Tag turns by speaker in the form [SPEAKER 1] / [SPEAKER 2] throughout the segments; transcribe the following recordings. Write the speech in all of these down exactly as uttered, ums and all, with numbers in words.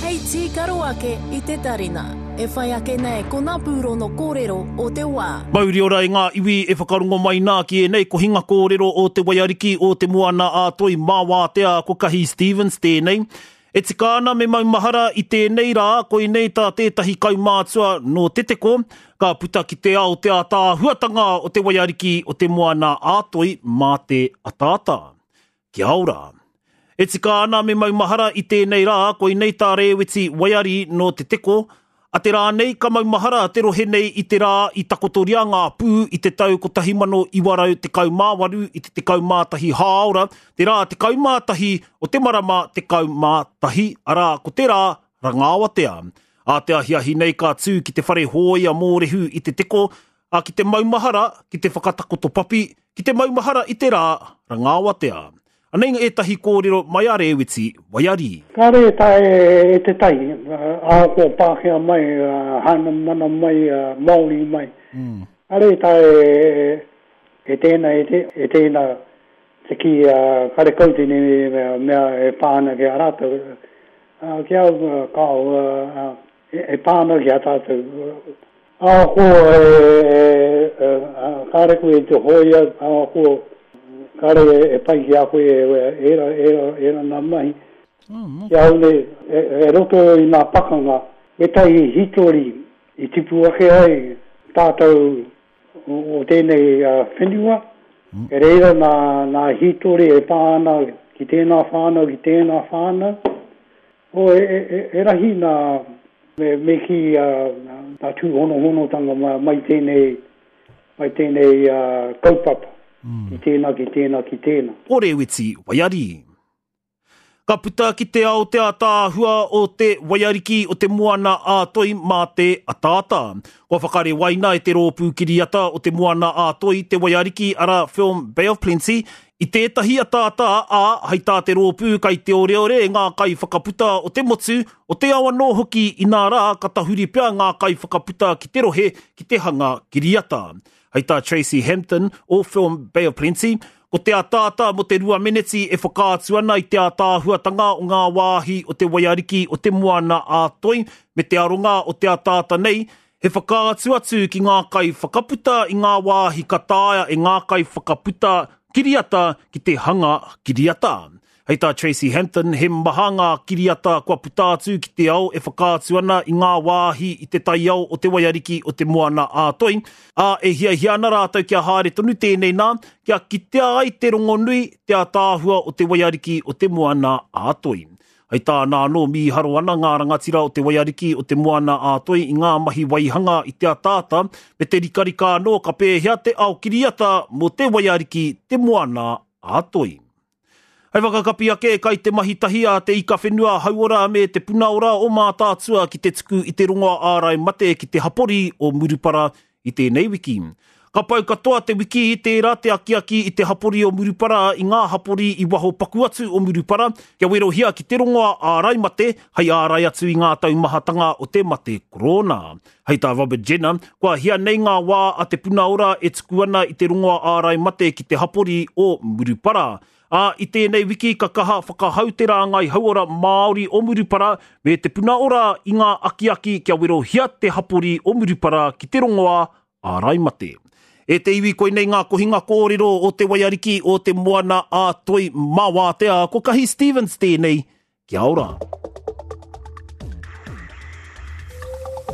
[SPEAKER 1] Hei tīkaro ake i te tarina. E whai ake nei ko ngā pūrono kōrero o te wā.
[SPEAKER 2] Mauri ora i ngā iwi e whakarongo mai nā ki ēnei kohinga kōrero o te waiariki o te moana a Toi mā wātea ko Kahi Stevens tēnei. E tika ana me maumahara i tēnei rā, koinei tā tētahi kaumātua nō Te Teko, ka puta ki te ao te ātaahuatanga o te waiariki o te moana a Toi mā te ataata. Kia ora. E tika ana me maumahara i tēnei rā, koinei tā Rēweti Waiari nō Te Teko, a te rā nei ka maumahara te rohe nei i te rā i takotoria ngā pū i te tau kotahi mano iwa rau tekau mā waru i te tekau mā tahi hāora, te rā tekau mā tahi o te marama tekau mā tahi, arā ko te rā Rangaawatea. A te ahiahi nei ka tū ki te whare hōia Mōrehu i Te Teko, a ki te maumahara, ki te whakatakoto papi, ki te maumahara i te rā Rangaawatea. Anei ētahi kōrero mai a Rēweti Waiari.
[SPEAKER 3] Kāre e taea e te tai, ahakoa Pākehā mai, Hānamana mai, Māori mai. Kāre e taea e tēnā, e tēnā te kī karekau tēnei mea e pā ana ki a rātou. Ki au, kāo, e pā ana ki a tātou. Ahakoa kāre koe i te hōia, ahakoa kāre e pai ki a koe ērā, ērā, ērā nā mahi. Ki au nei, e roto i ngā pakanga, ētahi hītori i tipu ake ai tātou o tēnei whenua, e reira nā, nā hītori e pā ana ki tēnā whānau, ki tēnā whānau. O, e, e, e rahi nā, me, me ki nā tūhonohonotanga mai tēnei, mai tēnei uh, kaupapa. Ki tēnā, ki tēnā, ki tēnā.
[SPEAKER 2] Ko Rēweti Waiari. Ka puta ki te ao te ātaahua o te waiariki o te moana a Toi mā te ataata. Kua whakarewaina e te rōpū kiriata o te moana a Toi te waiariki ara Film Bay of Plenty i tētahi ataata a hei tā te rōpū kai te oreore ngā kaiwhakaputa o te motu, o te ao anō hoki inā rā ka tahuri pea ngā kaiwhakaputa ki te rohe ki te hanga kiriata. Hei tā Tracy Hampton o Film Bay of Plenty, ko te ataata mo te rua meneti e whakaatu ana i te ātaahuatanga o ngā wāhi o te waiariki o te moana a Toi me te aronga o te ataata nei, he whakaatu atu ki ngā kai whakaputa i ngā wāhi ka taea e ngā kai whakaputa kiriata ki te hanga kiriata. Hei tā Tracy Hampton, he maha ngā kiriata kua puta atu ki te ao e whakaatu ana i ngā wāhi i te taiao o te waiariki o te moana a Toi, a e hiahia ana rātou kia haere tonu tēnei nā, kia kitea ai te rongonui te ātaahua o te waiariki o te moana a Toi. Hei tāna anō mīharo ana ngā rangatira o te waiariki o te moana a Toi i ngā mahi waihanga i te ataata, me te rikarika anō ka pēhea te ao kiriata mō te waiariki te moana a Toi. Hei whakakapi ake kai te mahi tahi a te ika whenua hauora me te puna ora o Mātaatua ki te tuku i te rongoa ārai mate ki te hapori o Murupara i tēnei wiki. Ka pau katoa te wiki i tērā te akiaki i te hapori o Murupara i ngā hapori i waho paku atu o Murupara kia werohia ki te rongoa ārai mate hei ārai atu i ngā taumahatanga o te mate korona. Hei tā Robert Jenner, kua hia nei ngā wā a te puna ora e tuku ana i te rongoa ārai mate ki te hapori o Murupara. A, i tēnei wiki ka kaha whakahau te rāngai hauora Māori o Murupara me te puna ora i ngā akiaki kia werohia te hapori o Murupara ki te rongoa ārai mate. E te iwi koinei ngā kohinga kōrero o te waiariki o te moana a Toi mā wātea, ko Kahi Stevens tēnei, kia ora.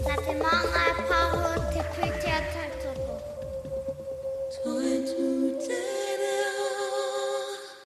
[SPEAKER 4] Nā te Māngai Pāho.